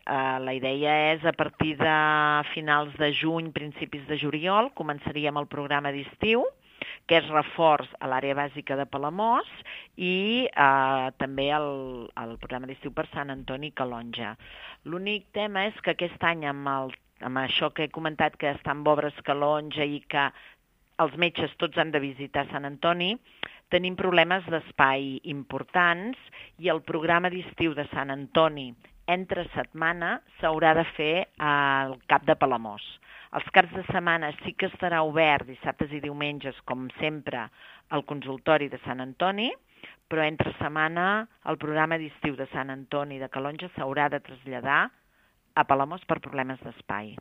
La idea és a partir de finals de juny, principis de juliol, començaríem el programa d'estiu, que és reforç a l'àrea bàsica de Palamós, i també el programa d'estiu per Sant Antoni i Calonge. L'únic tema és que aquest any, amb això que he comentat, que està en obres Calonge i que els metges tots han de visitar Sant Antoni, tenim problemes d'espai importants i el programa d'estiu de Sant Antoni entre setmana s'haurà de fer al Cap de Palamós. Els caps de setmana sí que estarà obert dissabtes i diumenges, com sempre, al consultori de Sant Antoni, però entre setmana el programa d'estiu de Sant Antoni i de Calonge s'haurà de traslladar a Palamós per problemes d'espai.